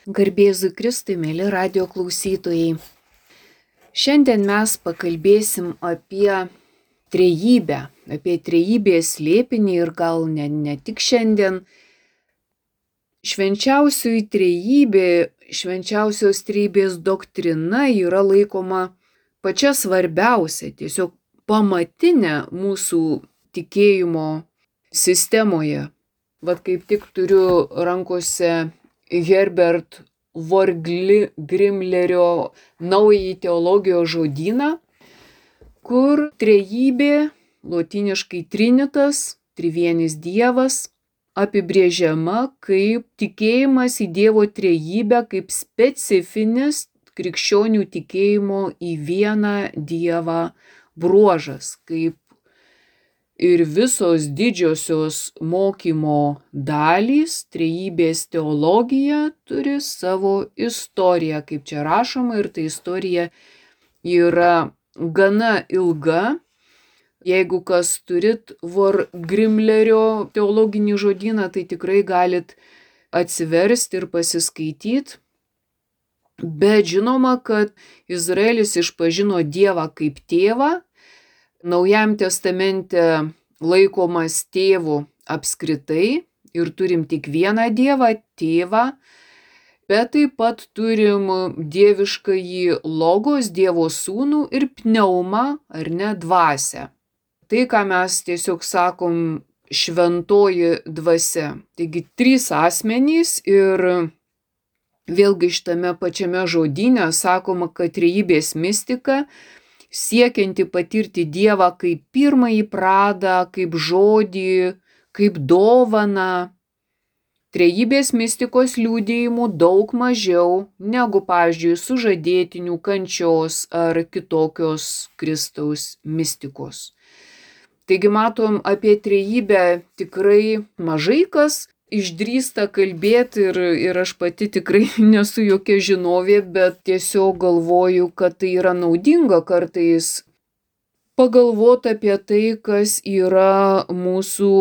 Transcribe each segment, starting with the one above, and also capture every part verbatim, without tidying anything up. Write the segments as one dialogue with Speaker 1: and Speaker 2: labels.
Speaker 1: Garbėzui Kristui, mėly radio klausytojai. Šiandien mes pakalbėsim apie trejybę, apie trejybės slėpinį ir gal ne, ne tik šiandien. Švenčiausioji trejybė, švenčiausios trejybės doktrina yra laikoma pačia svarbiausia, tiesiog pamatinė mūsų tikėjimo sistemoje. Vat kaip tik turiu rankose Herbert Wörgl-Grimlerio naująjį teologijos žodyną, kur trejybė, lotyniškai trinitas, trivienis dievas, apibrėžiama kaip tikėjimas į Dievo trejybę, kaip specifinis krikščionių tikėjimo į vieną Dievą bruožas, kaip ir visos didžiosios mokymo dalys, trejybės teologija turi savo istoriją, kaip čia rašoma, ir ta istorija yra gana ilga. Jeigu kas turit Wörgl-Grimlerio teologinį žodyną, tai tikrai galit atsiversti ir pasiskaityti. Bet žinoma, kad Izraelis išpažino Dievą kaip tėvą, Naujajam testamente laikomas tėvu apskritai ir turim tik vieną Dievą, tėvą, bet taip pat turim dieviškąjį logos, Dievo sūnų ir pneumą, ar ne, dvasią. Tai, ką mes tiesiog sakom šventoji dvasia. Taigi trys asmenys ir vėlgi šitame pačiame žodyne sakoma, kad trejybės mistika siekianti patirti Dievą kaip pirmąjį pradą, kaip žodį, kaip dovaną. Trejybės mistikos liudijimų daug mažiau negu, pavyzdžiui, sužadėtinių kančios ar kitokios Kristaus mistikos. Taigi matom, apie trejybę tikrai mažai kas išdrįsta kalbėti ir, ir aš pati tikrai nesu jokia žinovė, bet tiesiog galvoju, kad tai yra naudinga kartais pagalvoti apie tai, kas yra mūsų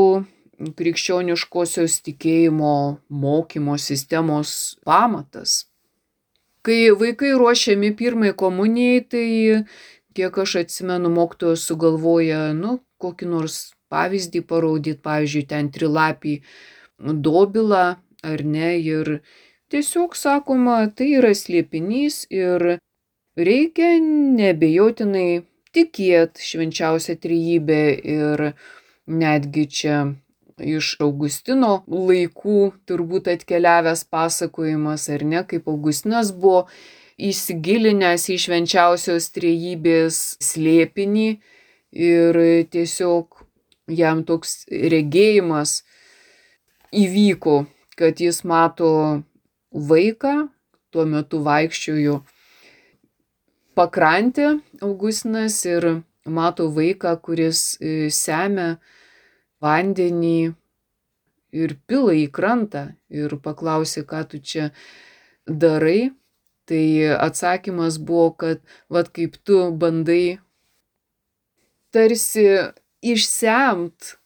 Speaker 1: krikščioniškosios tikėjimo mokymo sistemos pamatas. Kai vaikai ruošiami pirmai komunijai, tai kiek aš atsimenu, mokytojas sugalvoja, nu, kokį nors pavyzdį parodyti, pavyzdžiui, ten trilapį dobilą, ar ne, ir tiesiog sakoma, tai yra slėpinys ir reikia neabejotinai tikėti švenčiausią trejybę ir netgi čia iš Augustino laikų turbūt atkeliavęs pasakojimas, ar ne, kaip Augustinas buvo įsigilinęs į švenčiausios trejybės slėpinį ir tiesiog jam toks regėjimas įvyko, kad jis mato vaiką, tuo metu vaikščiojo pakrantę Augustinas ir mato vaiką, kuris semia vandenį ir pila į krantą ir paklausė, ką tu čia darai. Tai atsakymas buvo, kad vat kaip tu bandai tarsi išsemt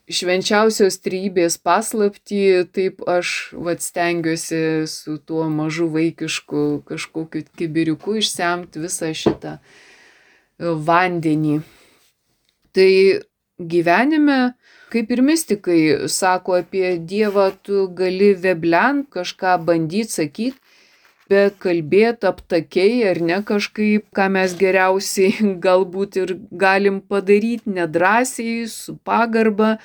Speaker 1: švenčiausios trejybės paslaptį, taip aš vat stengiuosi su tuo mažu vaikišku kažkokiu kibiriuku išsemti visą šitą vandenį. Tai gyvenime, kaip ir mistikai sako apie Dievą, tu gali veblent, kažką bandyti sakyti, bet kalbėti aptakiai ar ne kažkaip, ką mes geriausiai galbūt ir galim padaryti nedrąsiai, su pagarba,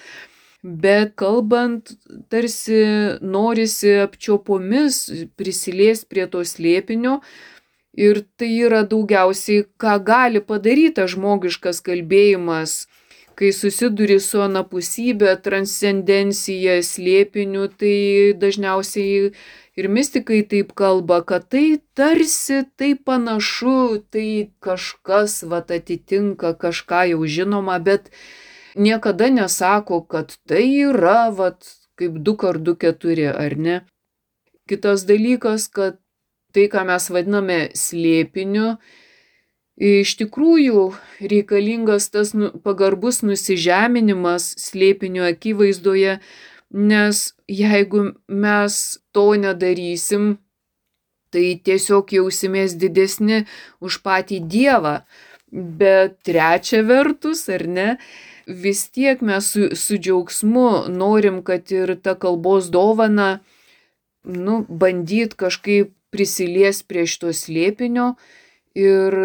Speaker 1: bet kalbant tarsi norisi apčiuopomis prisiliesti prie to slėpinio ir tai yra daugiausiai, ką gali padaryti tas žmogiškas kalbėjimas, kai susiduri su anapusybė, transcendencija, slėpiniu, tai dažniausiai ir mistikai taip kalba, kad tai tarsi, tai panašu, tai kažkas vat atitinka kažką jau žinoma, bet niekada nesako, kad tai yra vat kaip du kart du keturi, ar ne. Kitas dalykas, kad tai, ką mes vadiname slėpiniu, iš tikrųjų reikalingas tas pagarbus nusižeminimas slėpinio akivaizdoje, nes jeigu mes to nedarysim, tai tiesiog jausimės didesni už patį Dievą. Bet trečia vertus, ar ne, vis tiek mes su, su džiaugsmu norim, kad ir ta kalbos dovana, nu, bandyt kažkaip prisilies prie šito slėpinio ir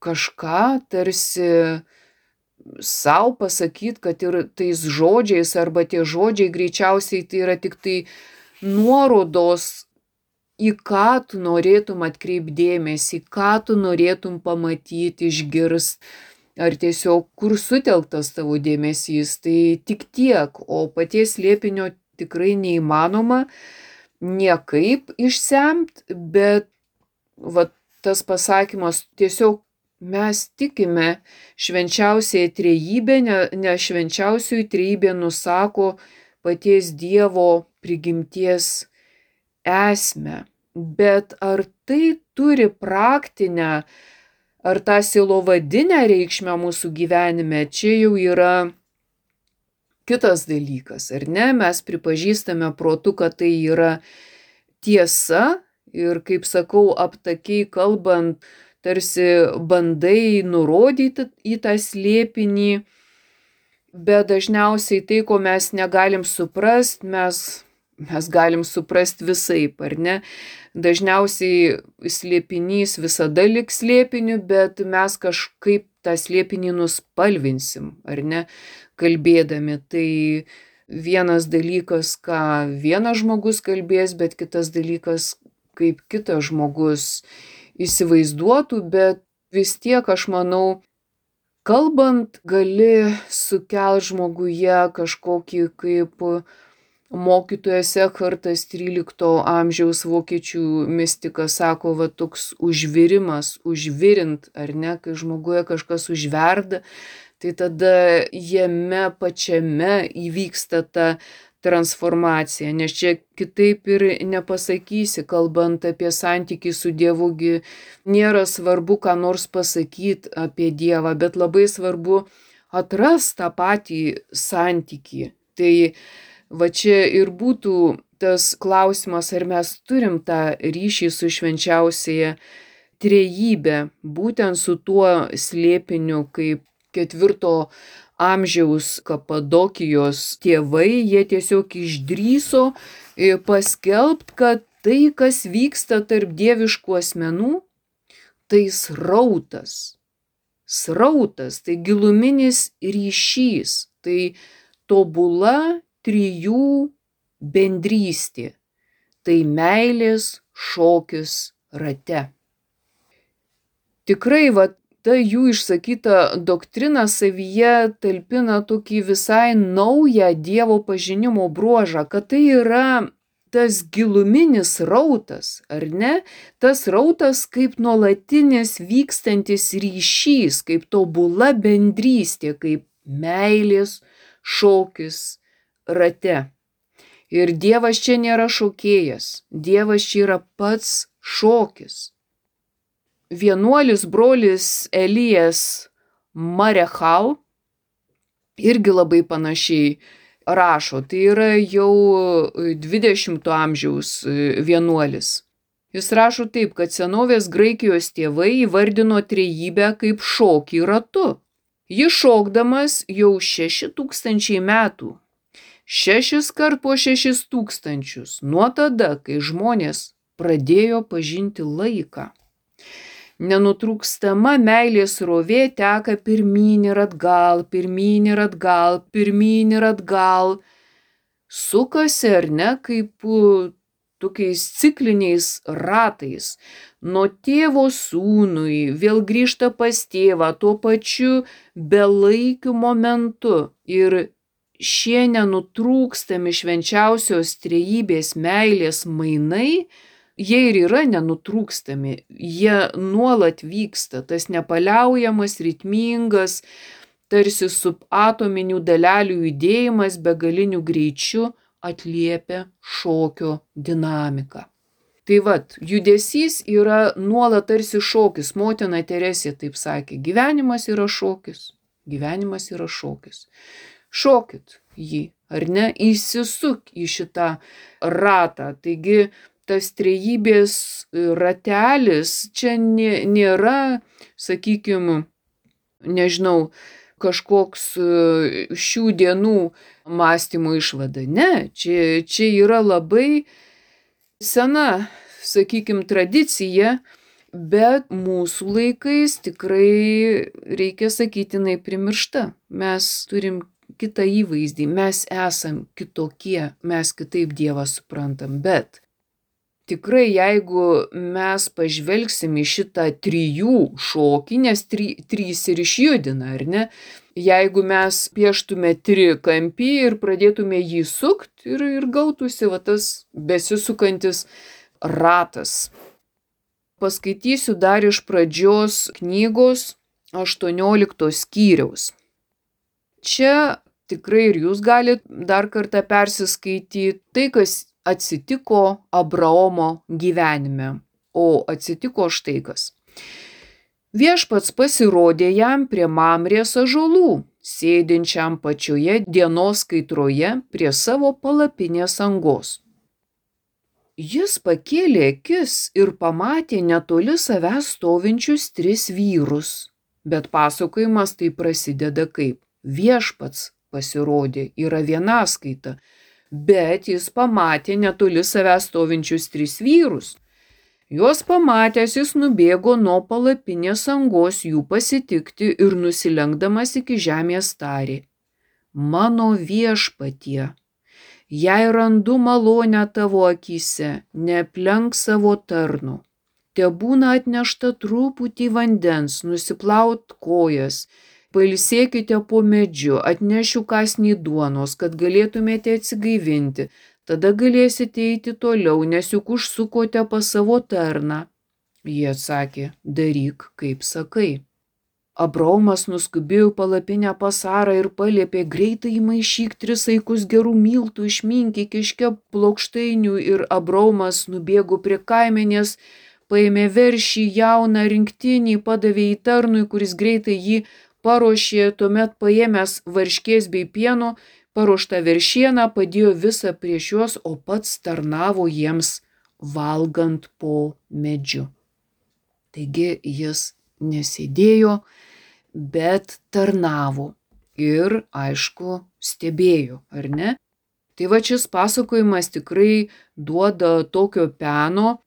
Speaker 1: kažką tarsi sau pasakyt, kad ir tais žodžiais, arba tie žodžiai greičiausiai tai yra tik tai nuorodos, į ką tu norėtum atkreipdėmėsi, ką tu norėtum pamatyti, išgirst, ar tiesiog kur sutelktas tavo dėmesys, tai tik tiek, o paties slėpinio tikrai neįmanoma niekaip išsemt, bet va, tas pasakymas tiesiog mes tikime švenčiausiai trejybė, nes švenčiausioji trejybė nusako paties Dievo prigimties esmę. Bet ar tai turi praktinę, ar tą sielovadinę reikšmę mūsų gyvenime, čia jau yra kitas dalykas, ar ne? Mes pripažįstame protu, kad tai yra tiesa ir, kaip sakau, aptakiai kalbant, tarsi bandai nurodyti į tą slėpinį, bet dažniausiai tai, ko mes negalim suprast, mes, mes galim suprast visaip, ar ne? Dažniausiai slėpinys visada liks slėpiniu, bet mes kažkaip tą slėpinį nuspalvinsim, ar ne, kalbėdami. Tai vienas dalykas, ką vienas žmogus kalbės, bet kitas dalykas, kaip kitas žmogus įsivaizduotų, bet vis tiek, aš manau, kalbant gali sukelt žmoguje kažkokį, kaip mokytojas Ekhartas trylikto amžiaus vokiečių mistikas sako, va toks užvirimas, užvirint, ar ne, kai žmoguje kažkas užverda, tai tada jame pačiame įvyksta ta transformacija, nes čia kitaip ir nepasakysi, kalbant apie santykį su Dievu, nėra svarbu, ką nors pasakyti apie Dievą, bet labai svarbu atrast tą patį santykį. Tai va čia ir būtų tas klausimas, ar mes turim tą ryšį su švenčiausiaja trejybe, būtent su tuo slėpiniu, kaip ketvirto amžiaus Kapadokijos tėvai, jie tiesiog išdrįso paskelbt, kad tai, kas vyksta tarp dieviškų asmenų, tai srautas. Srautas, tai giluminis ryšys, tai tobula trijų bendrystė, tai meilės šokis rate. Tikrai, va, ta jų išsakyta doktrina savyje talpina tokį visai naują Dievo pažinimo bruožą, kad tai yra tas giluminis rautas, ar ne? Tas rautas kaip nuolatinis vykstantis ryšys, kaip tobula bendrystė, kaip meilės šokis rate. Ir Dievas čia nėra šokėjas, Dievas čia yra pats šokis. Vienuolis brolis Elijas Marechal irgi labai panašiai rašo, tai yra jau dvidešimto amžiaus vienuolis. Jis rašo taip, kad senovės Graikijos tėvai įvardino trejybę kaip šokį ratu. Jis šokdamas jau šeši tūkstančiai metų. Šešis kart po šešis tūkstančius, nuo tada, kai žmonės pradėjo pažinti laiką. Nenutrūkstama meilės srovė teka pirmyn ir atgal, pirmyn ir atgal, pirmyn ir atgal. Sukasi, ar ne, kaip tokiais cikliniais ratais. Nuo tėvo sūnui, vėl grįžta pas tėvą tuo pačiu belaikiu momentu. Ir šie nenutrūkstami švenčiausios trejybės meilės mainai, jie ir yra nenutrūkstami, jie nuolat vyksta, tas nepaliaujamas, ritmingas, tarsi subatominių dalelių judėjimas begaliniu greičiu atliepia šokio dinamiką. Tai vat, judesys yra nuolat tarsi šokis, motina Teresė taip sakė, gyvenimas yra šokis, gyvenimas yra šokis. Šokit jį, ar ne, įsisuk į šitą ratą, taigi tas trejybės ratelis čia nėra, sakykime, nežinau, kažkoks šių dienų mąstymo išvada. Ne, čia, čia yra labai sena, sakykime, tradicija, bet mūsų laikais tikrai, reikia sakyti, jinai primiršta. Mes turim kitą įvaizdį, mes esam kitokie, mes kitaip Dievą suprantam, bet tikrai jeigu mes pažvelgsim į šitą trijų šokį, nes tri, trys ir išjudina, ar ne? Jeigu mes pieštume trikampį ir pradėtume jį sukti ir, ir gautųsi va tas besisukantis ratas. Paskaitysiu dar iš pradžios knygos aštuonioliktos skyriaus. Čia tikrai ir jūs galite dar kartą persiskaityti tai, kas atsitiko Abraomo gyvenime. O atsitiko štai kas. Viešpats pasirodė jam prie Mamrės ąžuolų, sėdinčiam pačioje dienos kaitroje prie savo palapinės angos. Jis pakėlė akis ir pamatė netoli savęs stovinčius tris vyrus. Bet pasakojimas tai prasideda kaip viešpats pasirodė, yra vienaskaita, bet jis pamatė netoli savęs stovinčius tris vyrus. Juos pamatęs jis nubėgo nuo palapinės angos jų pasitikti ir nusilenkdamas iki žemės tarė: Mano viešpatie, jei randu malonę tavo akyse, neaplenk savo tarno. Tebūna atnešta truputį vandens, nusiplaut kojas, pailsėkite po medžiu, atnešiu kąsnį duonos, kad galėtumėte atsigaivinti, tada galėsite eiti toliau, nes juk užsukote pas savo tarną. Jie atsakė: daryk, kaip sakai. Abraomas nuskubėjo palapinę pas Sarą ir paliepė: greitai įmaišyk tris saikus gerų miltų, išminkyk, iškep plokštainių. Ir Abraomas nubėgo prie kaimenės, paėmė veršį jauną rinktinį, padavė į tarnui, kuris greitai jį paruošė, tuomet paėmęs varškės bei pieno, paruoštą veršieną, padėjo visą prieš juos, o pats tarnavo jiems valgant po medžiu. Taigi jis nesėdėjo, bet tarnavo ir, aišku, stebėjo, ar ne? Tai va šis pasakojimas tikrai duoda tokio peno,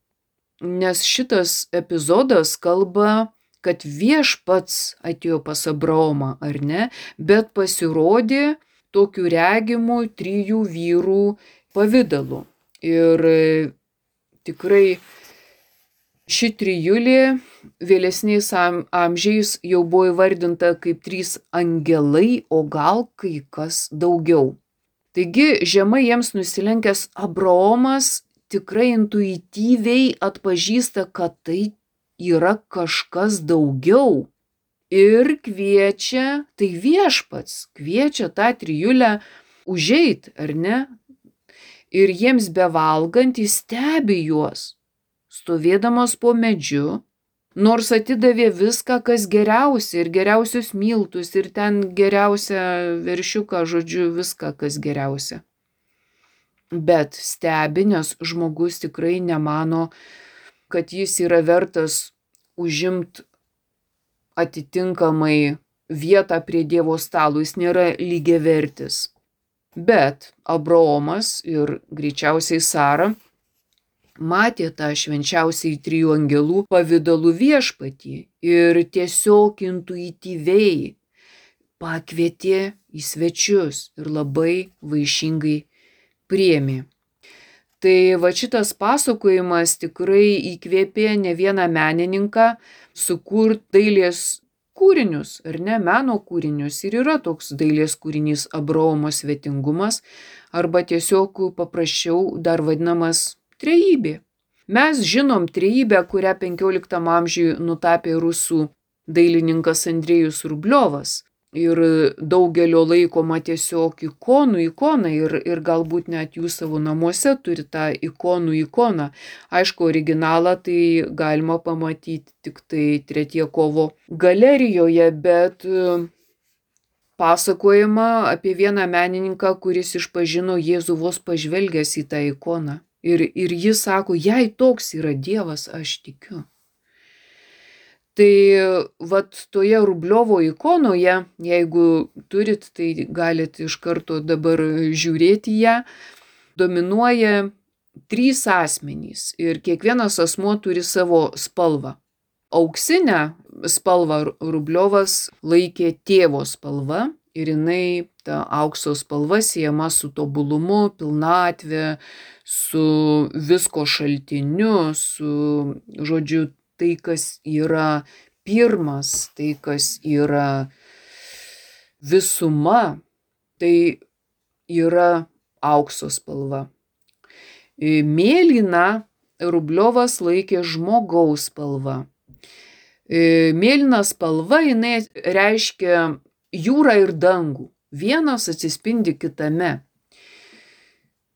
Speaker 1: nes šitas epizodas kalba, kad viešpats atėjo pas Abraomą, ar ne? Bet pasirodė tokių regimų trijų vyrų pavidalu. Ir tikrai ši trijulė vėlesniais amžiais jau buvo įvardinta kaip trys angelai, o gal kai kas daugiau. Taigi žemai jiems nusilenkęs Abraomas tikrai intuityviai atpažįsta, kad tai yra kažkas daugiau. Ir kviečia, tai viešpats kviečia tą trijulę užeit, ar ne? Ir jiems bevalgant jis stebi juos, stovėdamas po medžiu, nors atidavė viską, kas geriausia, ir geriausius miltus, ir ten geriausią veršiuką, žodžiu, viską, kas geriausia. Bet stebi, nes žmogus tikrai nemano, kad jis yra vertas užimt atitinkamai vietą prie Dievo stalo, jis nėra lygiavertis. Bet Abraomas ir greičiausiai Sara matė tą švenčiausiai trijų angelų pavidalų viešpatį ir tiesiog intuityviai pakvietė į svečius ir labai vaišingai priėmė. Tai va šitas pasakojimas tikrai įkvėpė ne vieną menininką sukurti dailės kūrinius, ar ne, meno kūrinius. Ir yra toks dailės kūrinys Abraomo svetingumas, arba tiesiog paprasčiau dar vadinamas trejybė. Mes žinom trejybę, kurią penkioliktam amžiuje nutapė rusų dailininkas Andrejus Rubliovas. Ir daugelio laikoma tiesiog ikonų ikona ir, ir galbūt net jūs savo namuose turi tą ikonų ikoną. Aišku, originalą tai galima pamatyti tik tai Tretjakovo galerijoje, bet pasakojama apie vieną menininką, kuris išpažino Jėzų vos pažvelgęs į tą ikoną. Ir, ir jis sako, jei toks yra Dievas, aš tikiu. Tai vat toje Rubliovo ikonoje, jeigu turit, tai galit iš karto dabar žiūrėti ją, dominuoja trys asmenys ir kiekvienas asmuo turi savo spalvą. Auksinę spalvą Rubliovas laikė tėvo spalva ir jinai, ta aukso spalva, siejama su tobulumu, pilnatve, su visko šaltiniu, su, žodžiu, tai, kas yra pirmas, tai, kas yra visuma, tai yra aukso spalva. Mėlyną Rubliovas laikė žmogaus spalva. Mėlyna spalva, jinai reiškia jūrą ir dangų. Vienas atsispindi kitame.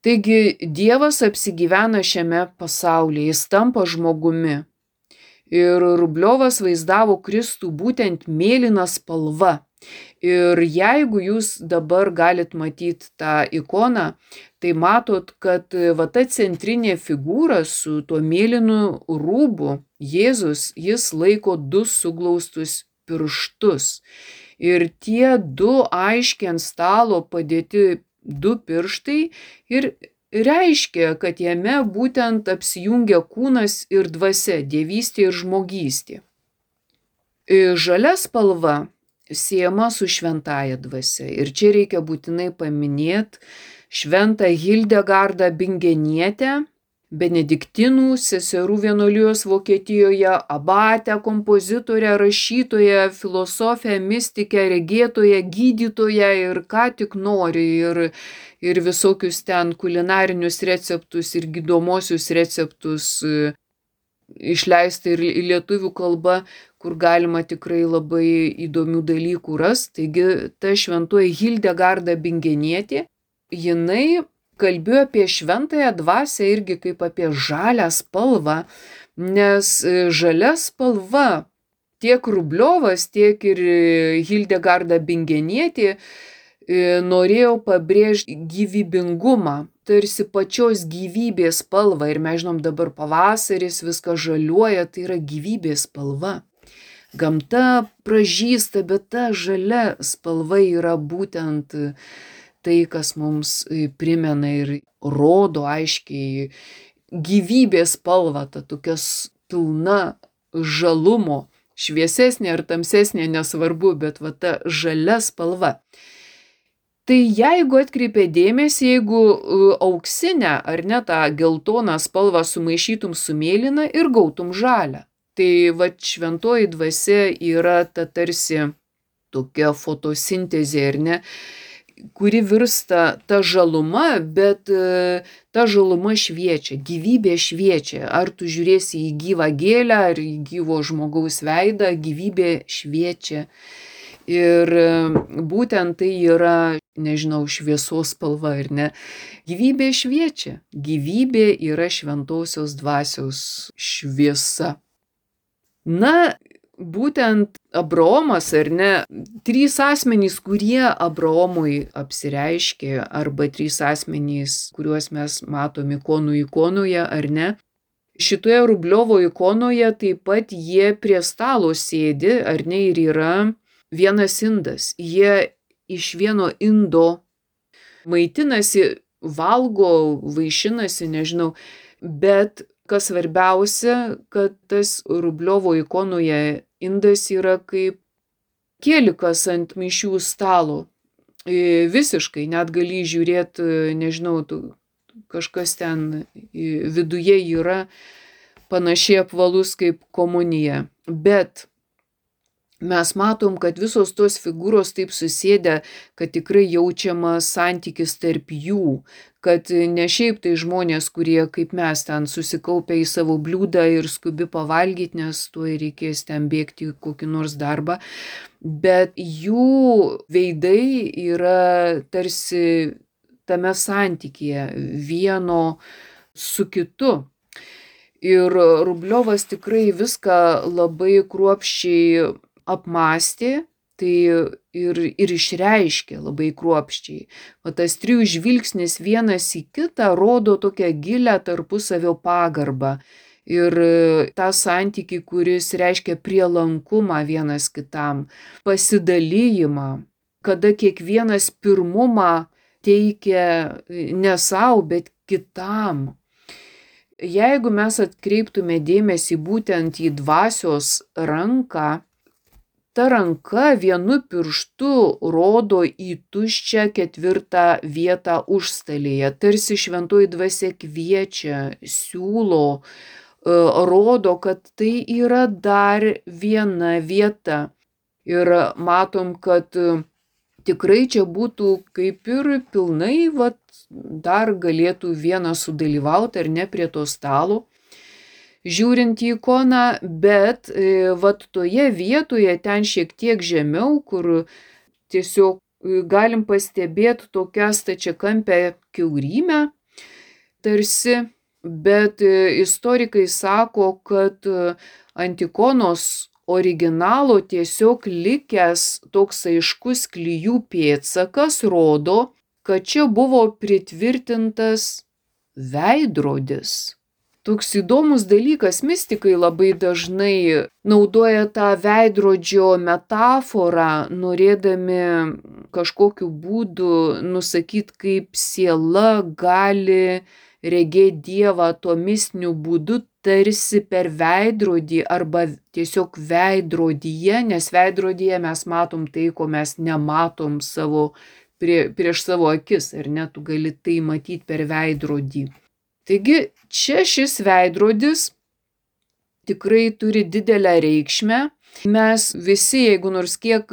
Speaker 1: Taigi Dievas apsigyvena šiame pasaulyje, jis tampa žmogumi. Ir Rubliovas vaizdavo Kristų būtent mėlyna spalva. Ir jeigu jūs dabar galit matyti tą ikoną, tai matot, kad va ta centrinė figūra su tuo mėlynu rūbu, Jėzus, jis laiko du suglaustus pirštus. Ir tie du aiškiai ant stalo padėti du pirštai ir reiškia, kad jame būtent apsijungia kūnas ir dvasia, dievystė ir žmogystė. Žalia spalva siejama su šventąja dvasia. Ir čia reikia būtinai paminėti šventą Hildegardą Bingenietę, benediktinų seserų vienuolijos Vokietijoje, abatę, kompozitorę, rašytoją, filosofę, mistikę, regėtoją, gydytoją ir ką tik nori. Ir, ir visokius ten kulinarinius receptus ir gydomosius receptus išleisti ir į lietuvių kalbą, kur galima tikrai labai įdomių dalykų rasti. Taigi ta šventoji Hildegarda Bingenietė, jinai kalbėjo apie šventąją dvasią irgi kaip apie žalią spalvą, nes žalia spalva tiek Rubliovas, tiek ir Hildegarda Bingenietė norėjo pabrėžti gyvybingumą, tarsi pačios gyvybės spalvą. Ir mes žinom, dabar pavasaris, viskas žaliuoja, tai yra gyvybės spalva. Gamta pražysta, bet ta žalia spalva yra būtent tai, kas mums primena ir rodo aiškiai gyvybės spalvą, ta tokia pilna žalumo, šviesesnė ar tamsesnė, nesvarbu, bet va ta žalia spalva. Tai jeigu atkreipė dėmesį, jeigu auksinę ar ne tą geltoną spalvą sumaišytum su mėlyna ir gautum žalią. Tai va šventoji dvasia yra ta tarsi tokia fotosintezė, ar ne, kuri virsta ta žaluma, bet ta žaluma šviečia, gyvybė šviečia. Ar tu žiūrėsi į gyvą gėlę, ar į gyvo žmogaus veidą, gyvybė šviečia. Ir būtent tai yra, nežinau, šviesos spalva, ar ne? Gyvybė šviečia. Gyvybė yra šventosios dvasios šviesa. Na, būtent Abraomas, ar ne, trys asmenys, kurie Abraomui apsireiškė, arba trys asmenys, kuriuos mes matom ikonų ikonoje, ar ne, šitoje Rubliovo ikonoje taip pat jie prie stalo sėdi, ar ne, ir yra vienas indas. Jie iš vieno indo maitinasi, valgo, vaišinasi, nežinau, bet kas svarbiausia, kad tas Rubliovo ikonoje indas yra kaip kielikas ant mišių stalo. Visiškai, net gali žiūrėti, nežinau, kažkas ten viduje yra panašiai apvalus kaip komunija. Bet mes matom, kad visos tos figūros taip susėdę, kad tikrai jaučiamas santykis tarp jų, kad ne šiaip tai žmonės, kurie kaip mes ten susikaupia į savo bliūdą ir skubi pavalgyti, nes tuoj reikės ten bėgti į kokį nors darbą, bet jų veidai yra tarsi tame santykyje vieno su kitu. Ir Rubliovas tikrai viską labai kruopščiai apmąstė, tai ir, ir išreiškia labai kruopščiai. O tas trijų žvilgsnis vienas į kitą rodo tokią gilią tarpusavio pagarbą. Ir tą santykį, kuris reiškia prielankumą vienas kitam, pasidalijimą, kada kiekvienas pirmumą teikia ne savo, bet kitam. Jeigu mes atkreiptume dėmesį būtent į dvasios ranką, ta ranka vienu pirštu rodo į tuščią ketvirtą vietą užstalėje, tarsi šventoji dvasia kviečia, siūlo, rodo, kad tai yra dar viena vieta. Ir matom, kad tikrai čia būtų kaip ir pilnai, vat, dar galėtų vienas sudalyvauti ar ne prie to stalo, žiūrint į ikoną, bet vat toje vietoje, ten šiek tiek žemiau, kur tiesiog galim pastebėti tokią stačiakampę kiaurymę, tarsi, bet istorikai sako, kad ant ikonos originalo tiesiog likęs toks aiškus klijų pėdsakas rodo, kad čia buvo pritvirtintas veidrodis. Toks įdomus dalykas, mistikai labai dažnai naudoja tą veidrodžio metaforą, norėdami kažkokiu būdu nusakyti, kaip siela gali regėti Dievą tuo mistiniu būdu, tarsi per veidrodį arba tiesiog veidrodyje, nes veidrodyje mes matom tai, ko mes nematom savo, prie, prieš savo akis, ar ne, tu gali tai matyti per veidrodį. Taigi čia šis veidrodis tikrai turi didelę reikšmę. Mes visi, jeigu nors kiek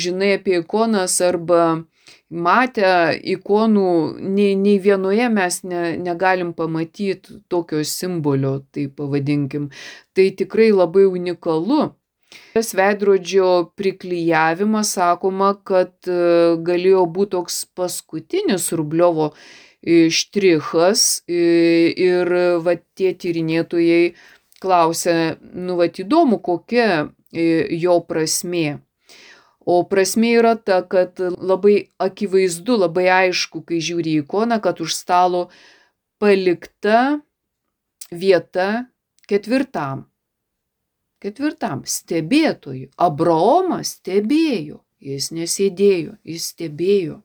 Speaker 1: žinai apie ikonas arba matę ikonų, nei, nei vienoje mes ne, negalim pamatyti tokio simbolio, tai pavadinkim. Tai tikrai labai unikalu. Tas veidrodžio priklijavimas, sakoma, kad galėjo būti toks paskutinis Rubliovo štrichas ir va, tie tyrinėtojai klausia, nu va, įdomu, kokia jo prasmė. O prasmė yra ta, kad labai akivaizdu, labai aišku, kai žiūri į ikoną, kad už stalo palikta vieta ketvirtam. Ketvirtam stebėtojui. Abraomas stebėjo, jis nesėdėjo, jis stebėjo.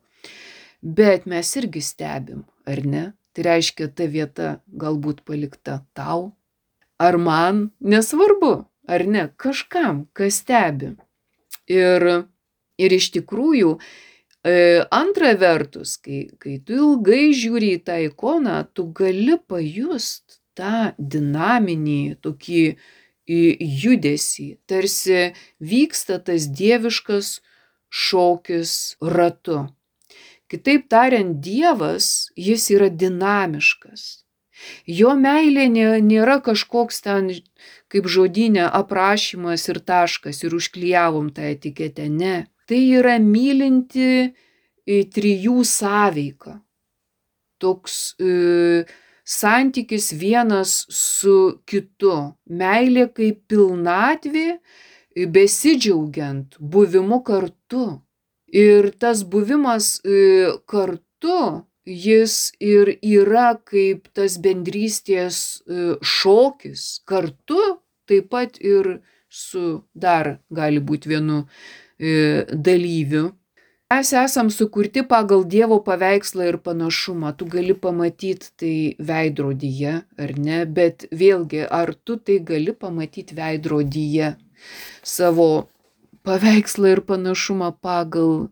Speaker 1: Bet mes irgi stebim, ar ne? Tai reiškia, ta vieta galbūt palikta tau, ar man, nesvarbu, ar ne, kažkam, kas stebi. Ir, ir iš tikrųjų, e, antra vertus, kai, kai tu ilgai žiūri į tą ikoną, tu gali pajust tą dinaminį tokį judesį, tarsi vyksta tas dieviškas šokis ratu. Kitaip tariant, Dievas, jis yra dinamiškas. Jo meilė nėra kažkoks ten, kaip žodyne, aprašymas ir taškas ir užklijavom tą etiketę. Ne. Tai yra mylinti trijų sąveika. Toks e, santykis vienas su kitu. Meilė kaip pilnatvė, besidžiaugiant buvimu kartu. Ir tas buvimas e, kartu, jis ir yra kaip tas bendrystės šokis kartu, taip pat ir su dar gali būti vienu dalyviu. Mes esam sukurti pagal Dievo paveikslą ir panašumą. Tu gali pamatyti tai veidrodyje, ar ne, bet vėlgi, ar tu tai gali pamatyti veidrodyje savo paveikslą ir panašumą pagal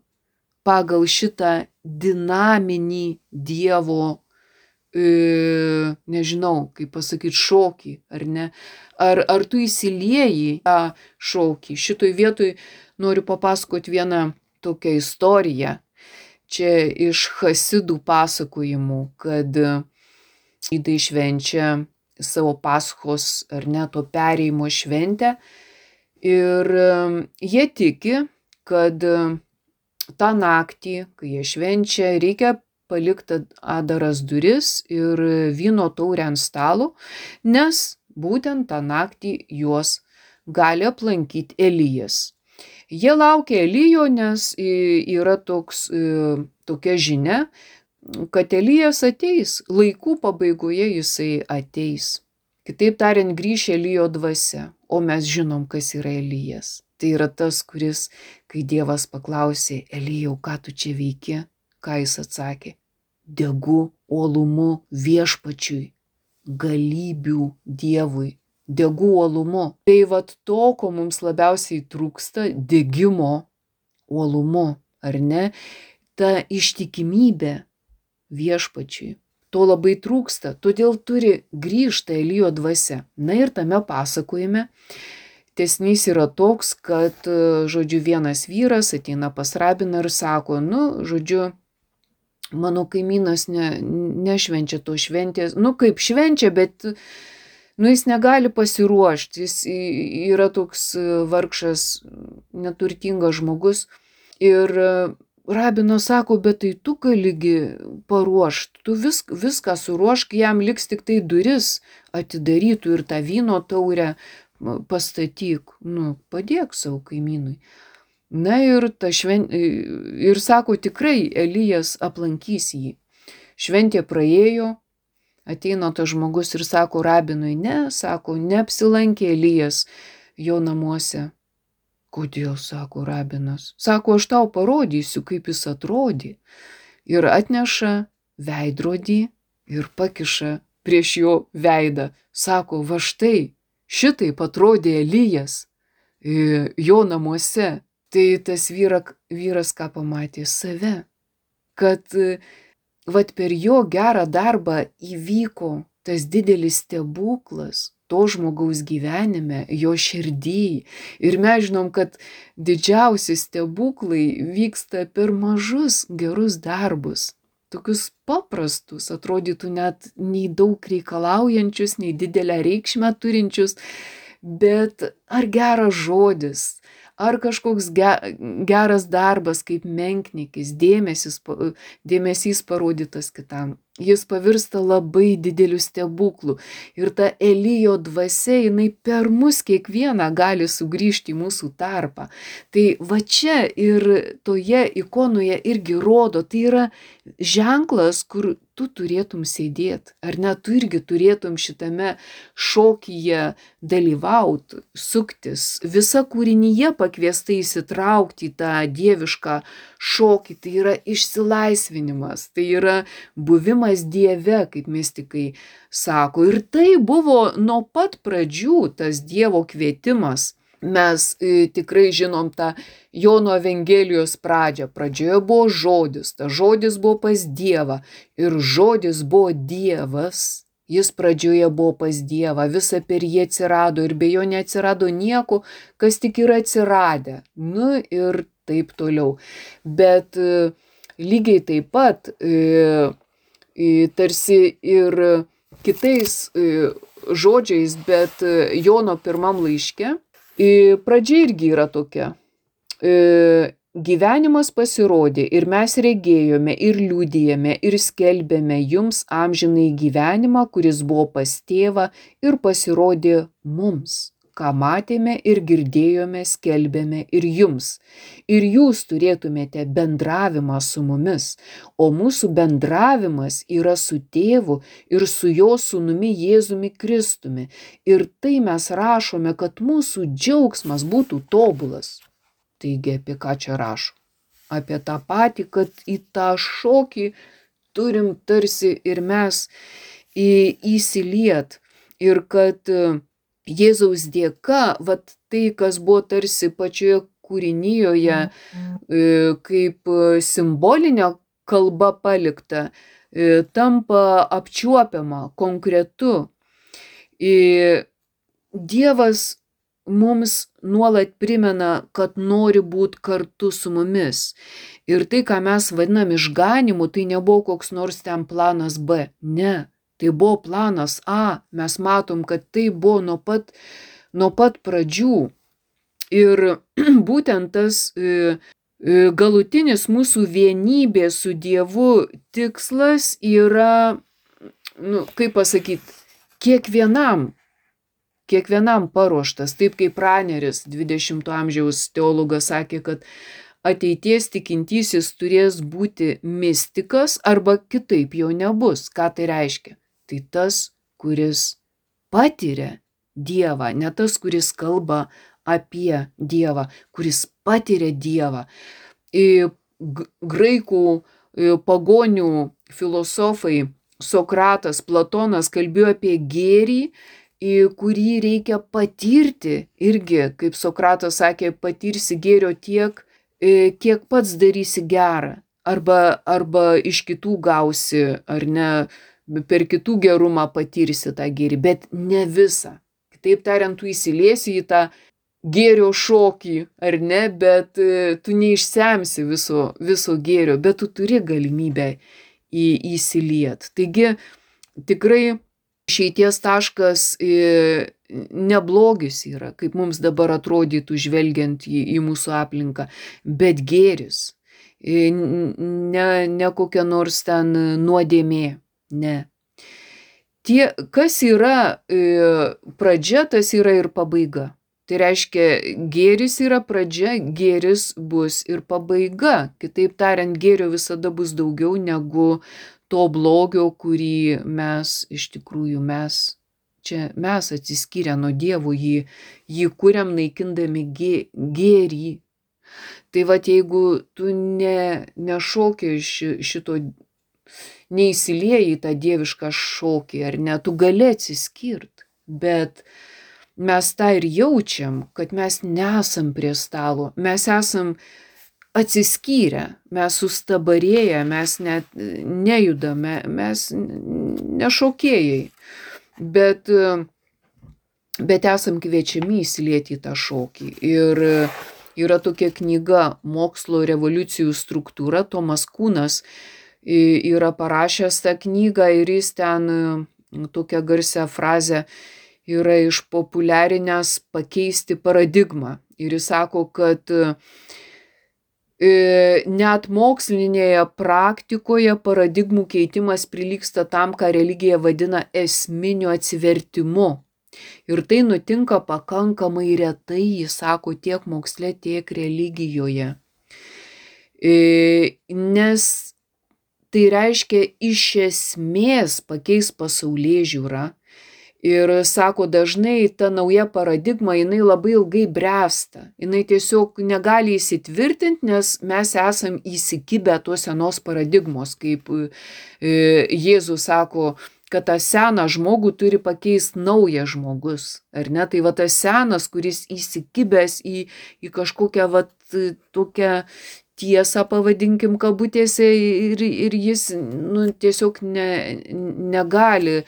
Speaker 1: pagal šitą dinaminį Dievo, e, nežinau, kaip pasakyti, šokį, ar ne? Ar, ar tu įsilieji tą šokį? Šitoj vietoj noriu papasakoti vieną tokią istoriją. Čia iš chasidų pasakojimų, kad žydai švenčia savo Paschos, ar ne, to perėjimo šventę. Ir jie tiki, kad tą naktį, kai jie švenčia, reikia palikti adaras duris ir vyno taurę ant stalo, nes būtent tą naktį juos gali aplankyti Elijas. Jie laukia Elijo, nes yra toks, tokia žinia, kad Elijas ateis, laikų pabaigoje jisai ateis. Kitaip tariant, grįš Elijo dvasia, o mes žinom, kas yra Elijas. Tai yra tas, kuris, kai Dievas paklausė, Elijau, ką tu čia veiki, ką jis atsakė? Degu uolumu viešpačiui, galybių Dievui, degu uolumu. Tai vat to, ko mums labiausiai trūksta, degimo uolumu, ar ne? Ta ištikimybė viešpačiui. To labai trūksta, todėl turi grįžta Elijo dvasia. Na ir tame pasakojime tęsinys yra toks, kad, žodžiu, vienas vyras ateina pas rabiną ir sako, nu, žodžiu, mano kaimynas ne, nešvenčia to šventės, nu, kaip švenčia, bet, nu, jis negali pasiruošti, jis yra toks vargšas, neturtingas žmogus. Ir rabinas sako, bet tai tu galigi paruošti, tu vis, viską suruošk, jam liks tik tai duris atidarytų ir tą vyno taurę pastatyk, nu, padėk savo kaimynui. Na ir, ta šven... ir sako, tikrai Elijas aplankys jį. Šventė praėjo, ateina tas žmogus ir sako rabinui, ne, sako, neapsilankė Elijas jo namuose. Kodėl, sako rabinas? Sako, aš tau parodysiu, kaip jis atrodė. Ir atneša veidrodį ir pakiša prieš jo veidą. Sako, va štai, šitaip atrodė Elijas jo namuose. Tai tas vyra, vyras ką pamatė? Save. Kad vat per jo gerą darbą įvyko tas didelis stebuklas to žmogaus gyvenime, jo širdį. Ir mes žinom, kad didžiausi stebuklai vyksta per mažus gerus darbus. Tokius paprastus, atrodytų net nei daug reikalaujančius, nei didelę reikšmę turinčius, bet ar geras žodis, ar kažkoks ge, geras darbas kaip menkniekis, dėmesys, dėmesys parodytas kitam. Jis pavirsta labai dideliu stebuklu. Ir ta Elijo dvasia, jinai per mus kiekvieną gali sugrįžti į mūsų tarpą. Tai va čia ir toje ikonoje irgi rodo, tai yra ženklas, kur tu turėtum sėdėti. Ar ne, tu irgi turėtum šitame šokyje dalyvauti, suktis. Visa kūrinyje pakviesta įsitraukti į tą dievišką šokį. Tai yra išsilaisvinimas, tai yra buvimas Dieve, kaip mistikai sako. Ir tai buvo nuo pat pradžių tas Dievo kvietimas. Mes e, tikrai žinom tą Jono Evangelijos pradžią. Pradžioje buvo žodis, tas žodis buvo pas Dievą ir žodis buvo Dievas. Jis pradžioje buvo pas Dievą, visa per jį atsirado ir be jo neatsirado nieko, kas tik yra atsiradę. Nu ir taip toliau. Bet e, lygiai taip pat e, e, tarsi ir kitais e, žodžiais, bet e, Jono pirmam laiške pradžia irgi yra tokia. Gyvenimas pasirodė ir mes regėjome ir liudijame ir skelbėme jums amžinai gyvenimą, kuris buvo pas tėvą ir pasirodė mums, ką matėme ir girdėjome, skelbėme ir jums. Ir jūs turėtumėte bendravimą su mumis, o mūsų bendravimas yra su tėvu ir su jo sūnumi Jėzumi Kristumi. Ir tai mes rašome, kad mūsų džiaugsmas būtų tobulas. Taigi apie ką čia rašo? Apie tą patį, kad į tą šokį turim tarsi ir mes įsiliet. Ir kad Jėzaus dėka, vat tai, kas buvo tarsi pačioje kūrinyjoje, kaip simbolinė kalba palikta, tampa apčiuopiama, konkretu. Dievas mums nuolat primena, kad nori būti kartu su mumis. Ir tai, ką mes vadinam išganymu, tai nebuvo koks nors ten planas B. Ne. Tai buvo planas A, mes matom, kad tai buvo nuo pat, nuo pat pradžių. Ir būtent tas e, galutinis mūsų vienybė su Dievu tikslas yra, nu, kaip pasakyti, kiekvienam, kiekvienam paruoštas, taip kaip Praneris, dvidešimto amžiaus teologas, sakė, kad ateities tikintysis turės būti mistikas arba kitaip jo nebus. Ką tai reiškia? Tai tas, kuris patiria Dievą, ne tas, kuris kalba apie Dievą, kuris patiria Dievą. Graikų pagonių filosofai Sokratas, Platonas kalbėjo apie gėrį, kurį reikia patirti. Irgi, kaip Sokratas sakė, patirsi gėrio tiek, kiek pats darysi gerą. Arba, arba iš kitų gausi, ar ne, per kitų gerumą patirsi tą gėrį, bet ne visą. Kitaip tariant, tu įsiliesi į tą gėrio šokį, ar ne, bet tu neišsemsi viso, viso gėrio, bet tu turi galimybę į, įsiliet. Taigi, tikrai išeities taškas neblogis yra, kaip mums dabar atrodytų žvelgiant į, į mūsų aplinką, bet gėris, ne, ne kokia nors ten nuodėmė, ne. Tie, kas yra pradžia, tas yra ir pabaiga. Tai reiškia, gėris yra pradžia, gėris bus ir pabaiga. Kitaip tariant, gėrio visada bus daugiau negu to blogio, kurį mes, iš tikrųjų, mes, čia mes atsiskyrę nuo Dievo, jį, jį kuriam naikindami gė, gėrį. Tai vat, jeigu tu ne, nešoki šito, neįsilieji į tą dievišką šokį, ar ne, tu gali atsiskirt, bet mes tą ir jaučiam, kad mes nesam prie stalo, mes esam atsiskyrę, mes sustabarėję, mes net nejudame, mes nešokėjai, bet, bet esam kviečiami įsilieti į tą šokį. Ir yra tokia knyga Mokslo revoliucijų struktūra, Tomas Kunas yra parašęs tą knygą ir jis ten tokią garsią frazę yra išpopuliarinęs pakeisti paradigmą. Ir jis sako, kad net mokslinėje praktikoje paradigmų keitimas prilygsta tam, ką religija vadina esminiu atsivertimu. Ir tai nutinka pakankamai retai, jis sako, tiek moksle, tiek religijoje. Nes tai reiškia iš esmės pakeis pasaulėžiūrą. Ir sako, dažnai ta nauja paradigma, jinai labai ilgai bręsta. Jinai tiesiog negali įsitvirtinti, nes mes esam įsikibę tos senos paradigmos, kaip Jėzus sako, kad tą seną žmogų turi pakeisti naujas žmogus. Ar ne? Tai va tas senas, kuris įsikibęs į, į kažkokią va tokią tiesą, pavadinkim kabutėse, ir, ir jis nu, tiesiog ne, negali,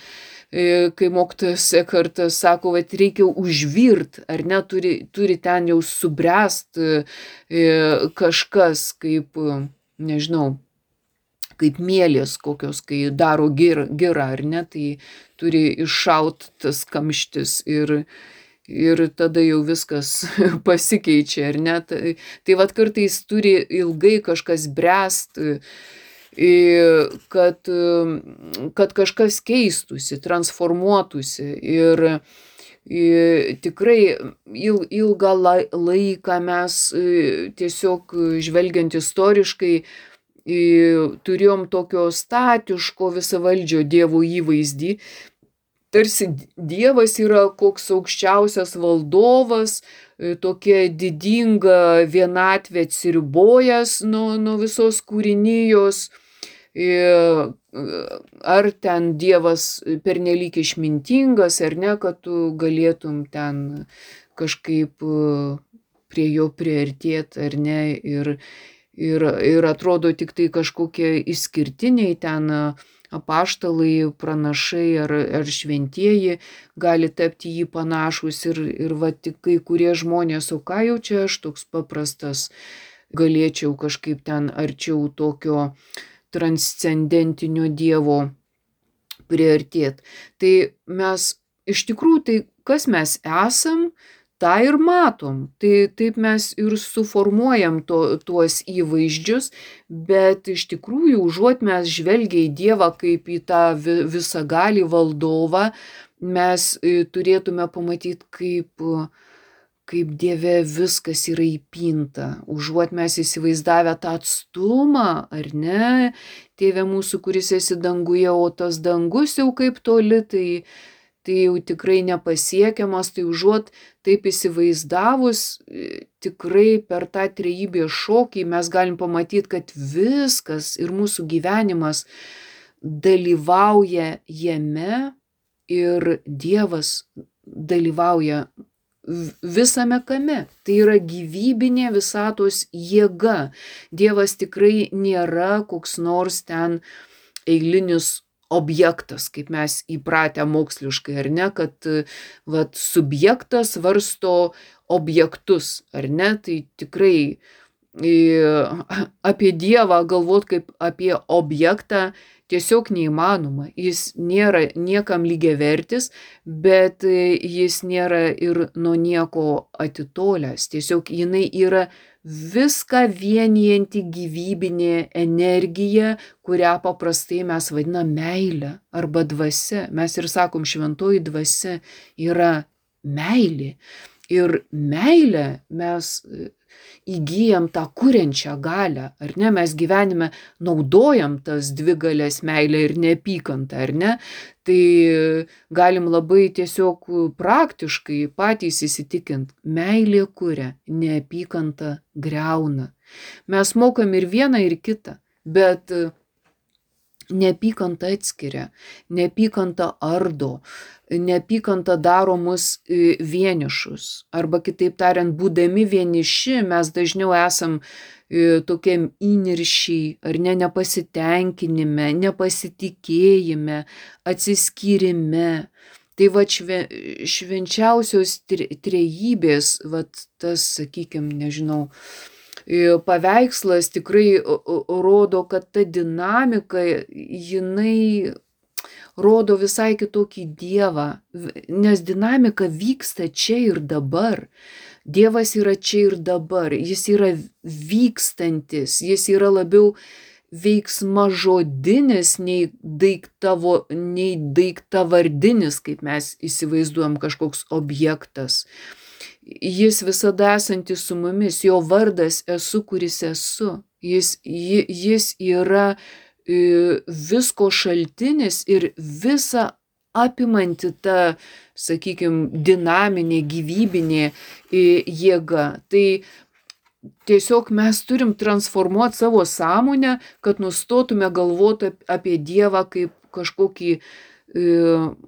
Speaker 1: kai mokytojas Ekartas sako, kad reikia užvirt, ar ne, turi, turi ten jau subręst kažkas, kaip, nežinau, kaip mielės kokios, kai daro girą, girą, ar ne, tai turi iššaut tas kamštis ir ir tada jau viskas pasikeičia, ar ne? Tai, tai vat kartais turi ilgai kažkas bręst, kad, kad kažkas keistųsi, transformuotųsi. Ir, ir tikrai il, ilgą laiką mes tiesiog žvelgiant istoriškai turėjom tokio statiško visavaldžio Dievo įvaizdį. Tarsi Dievas yra koks aukščiausias valdovas, tokia didinga vienatvė atsiribojęs nuo, nuo visos kūrinijos. Ar ten Dievas pernelyg išmintingas, ar ne, kad tu galėtum ten kažkaip prie jo priartėti, ar ne. Ir, ir, ir atrodo tik tai kažkokie išskirtiniai ten apaštalai, pranašai ar, ar šventieji gali tapti jį panašus ir, ir va tik kai kurie žmonės, o ką jau čia aš toks paprastas, galėčiau kažkaip ten arčiau tokio transcendentinio Dievo priartėti. Tai mes iš tikrųjų, tai kas mes esam, tą ir matom. Tai taip mes ir suformuojam to, tuos įvaizdžius, bet iš tikrųjų, užuot mes žvelgia į Dievą kaip į tą visagalį valdovą, mes turėtume pamatyti, kaip, kaip Dieve viskas yra įpinta, užuot mes įsivaizdavę tą atstumą, ar ne, Tėve mūsų, kuris esi danguje, o tas dangus jau kaip toli, tai, tai jau tikrai nepasiekiamas, tai užuot taip įsivaizdavus, tikrai per tą trejybės šokį mes galim pamatyti, kad viskas ir mūsų gyvenimas dalyvauja jame ir Dievas dalyvauja visame kame. Tai yra gyvybinė visatos jėga. Dievas tikrai nėra koks nors ten eilinis objektas, kaip mes įpratę moksliškai, ar ne, kad vat, subjektas varsto objektus, ar ne, tai tikrai apie Dievą galvot kaip apie objektą tiesiog neįmanoma. Jis nėra niekam lygiavertis, bet jis nėra ir nuo nieko atitolęs. Tiesiog jinai yra viską vienijanti gyvybinė energija, kurią paprastai mes vadinam meile arba dvasia. Mes ir sakom, šventoji dvasia yra meilė. Ir meilę mes įgyjam tą kuriančią galią, ar ne? Mes gyvenime naudojam tas dvi galias, meilę ir neapykantą, ar ne? Tai galim labai tiesiog praktiškai patys įsitikint, meilė kuria, neapykanta griauna. Mes mokam ir vieną, ir kitą, bet neapykanta atskiria, neapykanta ardo, neapykanta daro mus vienišus. Arba kitaip tariant, būdami vieniši, mes dažniau esam tokiam įniršiai, ar ne, nepasitenkinime, nepasitikėjime, atsiskyrime. Tai va šve, švenčiausios trejybės, va tas, sakykime, nežinau, paveikslas tikrai rodo, kad ta dinamika, jinai rodo visai kitokį Dievą, nes dinamika vyksta čia ir dabar. Dievas yra čia ir dabar, jis yra vykstantis, jis yra labiau veiksmažodinis nei, daiktavo, nei daiktvardinis, kaip mes įsivaizduojam, kažkoks objektas. Jis visada esantis su mumis, jo vardas esu, kuris esu. Jis, jis yra visko šaltinis ir visa apimanti ta, sakykime, dinaminė, gyvybinė jėga. Tai tiesiog mes turim transformuoti savo sąmonę, kad nustotume galvoti apie Dievą kaip kažkokį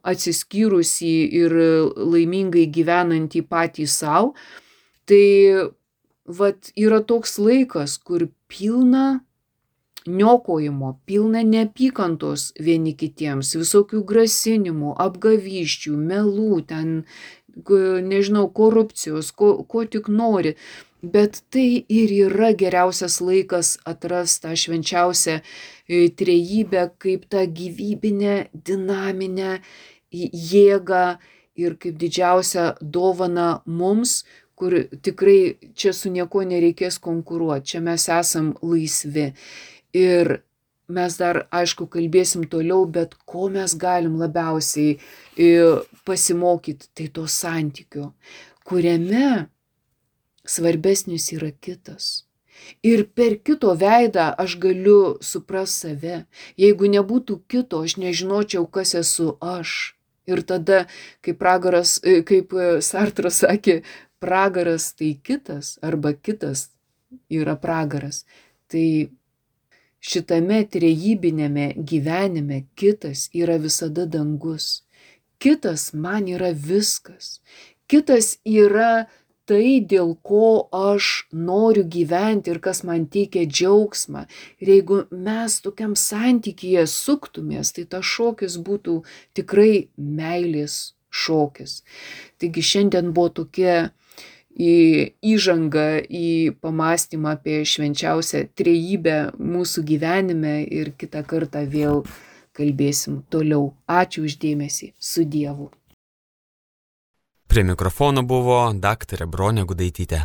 Speaker 1: atsiskyrusį ir laimingai gyvenantį patį savo. Tai vat yra toks laikas, kur pilna niokojimo, pilna neapykantos vieni kitiems, visokių grasinimų, apgavysčių, melų, ten, nežinau, korupcijos, ko, ko tik nori. Bet tai ir yra geriausias laikas atrasti tą švenčiausią trejybę kaip tą gyvybinę, dinaminę jėgą ir kaip didžiausią dovaną mums, kur tikrai čia su nieko nereikės konkuruoti, čia mes esam laisvi. Ir mes dar, aišku, kalbėsim toliau, bet ko mes galim labiausiai pasimokyti, tai to santykio, kuriame svarbesnis yra kitas. Ir per kito veidą aš galiu suprasti save. Jeigu nebūtų kito, aš nežinočiau, kas esu aš. Ir tada, kaip pragaras, kaip Sartras sakė, pragaras tai kitas, arba kitas yra pragaras. Tai šitame trejybinėme gyvenime kitas yra visada dangus. Kitas man yra viskas. Kitas yra tai, dėl ko aš noriu gyventi ir kas man teikia džiaugsmą. Ir jeigu mes tokiam santykyje suktumės, tai tas šokis būtų tikrai meilės šokis. Taigi šiandien buvo tokia įžanga į pamąstymą apie švenčiausią trejybę mūsų gyvenime ir kitą kartą vėl kalbėsim toliau. Ačiū už dėmesį. Su Dievu.
Speaker 2: Prie mikrofono buvo daktarė Bronė Gudaitytė.